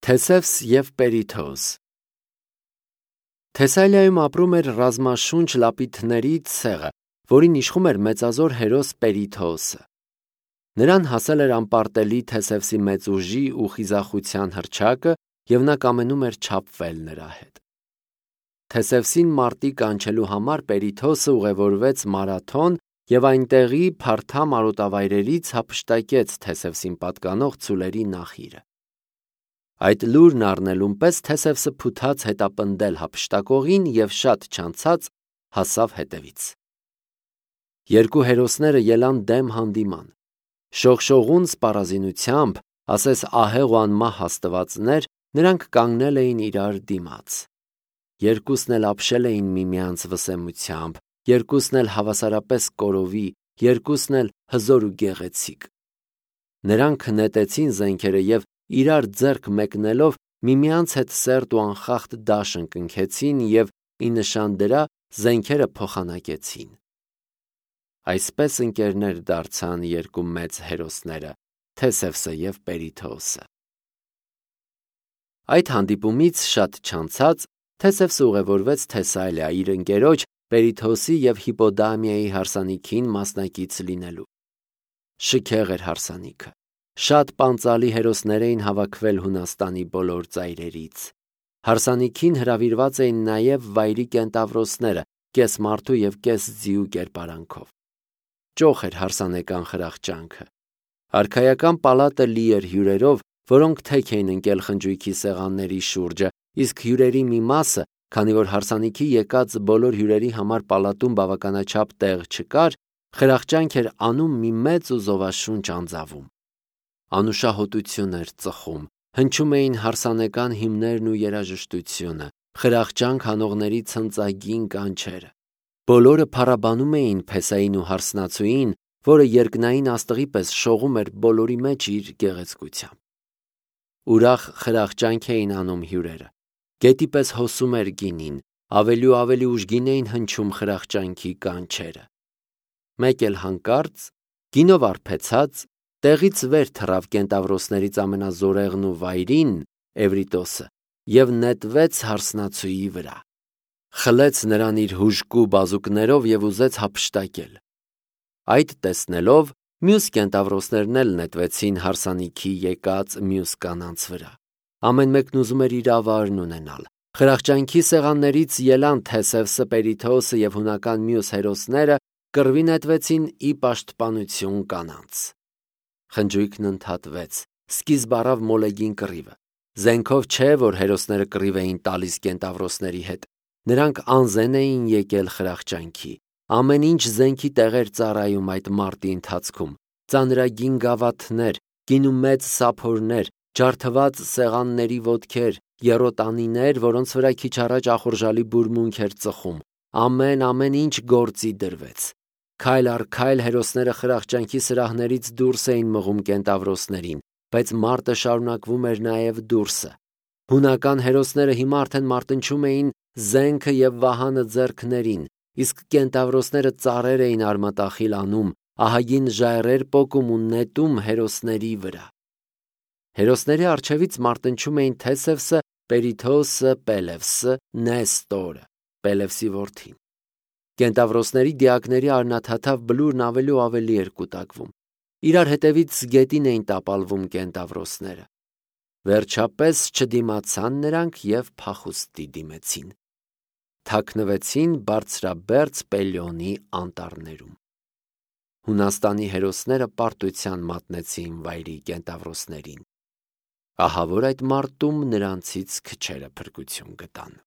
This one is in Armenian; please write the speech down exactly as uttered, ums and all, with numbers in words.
Թեսևս և Պերիթոս։ Թեսալիայում ապրում էր ռազմաշունչ լապիդներից ցեղը, որին իշխում էր մեծազոր հերոս Պերիթոսը։ Նրան հասել էր անպարտելի Թեսևսի մեծ ուժի ու խիզախության հռչակը, և նա կամենում էր չափվել նրա հետ։ Թեսևսին մարտի կանչելու համար Պերիթոսը ուղևորվեց Մարաթոն և այնտեղի փարթամ արոտավայրերից հափշտակեց Թեսևսին պատկանող ծուլերի նախիրը։ Այդ լուրն առնելուն պես Թեսևսը փութաց հետապնդել հափշտակողին և շատ չանցած հասավ հետևից։ Երկու հերոսները ելան դեմ հանդիման։ Շողշողուն սպառազինությամբ, ասես ահեղ ու անմահ աստվածներ, նրանք կանգնել էին իրար դիմաց։ Երկուսն էլ ապշել էին միմյանց վսեմությամբ, երկուսն էլ հավասարապես կորովի, երկուսն էլ հզոր ու գեղեցիկ։ Նրանք նետեցին զենքերը և իրար ձեռք մեկնելով միմյանց հետ սերտ ու անխախտ դաշն կնքեցին և ի նշան դրա զենքերը փոխանակեցին։ Այսպես ընկերներ դարձան երկու մեծ հերոսները՝ Թեսևսը և Պերիթոսը։ Այդ հանդիպումից շատ չանցած Թեսևսը ուղևորվեց Թեսալիա իր ընկերոջ Պերիթոսի և Հիպոդամիայի հարսանիքին մասնակից լինելու։ Շքեղ էր հարսանիքը։ Շատ պանծալի հերոսներ էին հավաքվել Հունաստանի բոլոր ծայրերից։ Հարսանիքին հրավիրված էին նաև վայրի կենտավրոսները կես մարդու և կես ձիու կերպարանքով։ Ճոխ էր հարսանեկան խրախճանքը։ Արքայական պալատը լի էր հյուրերով, որոնք թեք էին ընկել խնջույքի սեղանների շուրջը, իսկ հյուրերի մի մասը, քանի որ հարսանիքի եկած բոլոր հյուրերի համար պալատում բավականաչափ տեղ չկար, խրախճանք էր անում մի մեծ ու զովաշունչ անձավում։ Անուշահոտություն էր ծխում, հնչում էին հարսանեկան հիմներն ու երաժշտությունը, խրախճանք հանողների ցնծագին կանչերը։ Բոլորը փառաբանում էին Փեսային ու հարսնացուին, որը երկնային աստղի պես շողում էր բոլորի մեջ իր գեղեցկությամբ։ Ուրախ խրախճանք էին անում հյուրերը։ Գետի պես հոսում էր գինին, ավելի ու ավելի ուժգին էին հնչում խրախճանքի կանչերը։ Մեկ էլ հանկարծ, գինով արբեցած, տեղից վեր թռավ կենտավրոսներից ամենազորեղն ու վայրին՝ Էվրիտոսը, և նետվեց հարսնացուի վրա։ Խլեց նրան իր հուժկու բազուկներով և ուզեց հափշտակել։ Այդ տեսնելով, մյուս կենտավրոսներն էլ նետվեցին հարսանիքի եկած մյուս կանանց վրա։ Ամեն մեկն ուզում էր իր ավարն ունենալ։ Խրախճանքի սեղաններից ելան Թեսևսը, Պերիթոսը և հունական մյուս հերոսները, կռվի նետվեցին ի պաշտպանություն կանանց։ Խնջույքն ընդհատվեց, սկիզբ առավ մոլեգին կռիվը։ Զենքով չէ, որ հերոսները կռիվ էին տալիս կենտավրոսների հետ։ Նրանք անզեն էին եկել խրախճանքի։ Ամեն ինչ զենքի տեղ էր ծառայում այդ մարտի ընթացքում։ Ծանրագին գավաթներ, գինու մեծ սափորներ, ջարդված սեղանների ոտքեր, եռոտանիներ, որոնց վրա քիչ առաջ ախորժալի բուրմունք էր ծխում։ Ամեն-ամեն ինչ գործի դրվեց։ Քայլ առ քայլ հերոսները խրախճանքի սրահներից դուրս էին մղում կենտավրոսներին, բայց մարտը շարունակվում էր նաև դուրսը։ Հունական հերոսները հիմա արդեն մարտնչում էին զենքը և վահանը ձեռքներին, իսկ կենտավրոսները ծառեր էին արմատախիլ անում, ահագին ժայռեր պոկում ու նետում հերոսների վրա։ Հերոսների առջևից մարտնչում էին Թեսևսը, Պերիթոսը, Պելևսը, Նեստորը, Պելևսի որդին։ Կենտավրոսների դիակների արնաթաթավ բլուրն ավելի ու ավելի էր կուտակվում։ Իրար հետևից գետին էին տապալվում կենտավրոսները։ Վերջապես չդիմացան նրանք և փախուստի դիմեցին։ Թաքնվեցին բարձրաբերձ Պելիոնի անտառներում։ Հունաստանի հերոսները պարտության մատնեցին վայրի կենտավրոսներին։ Ահա որ այդ մարտում նրանցից քչերը փրկություն գտան։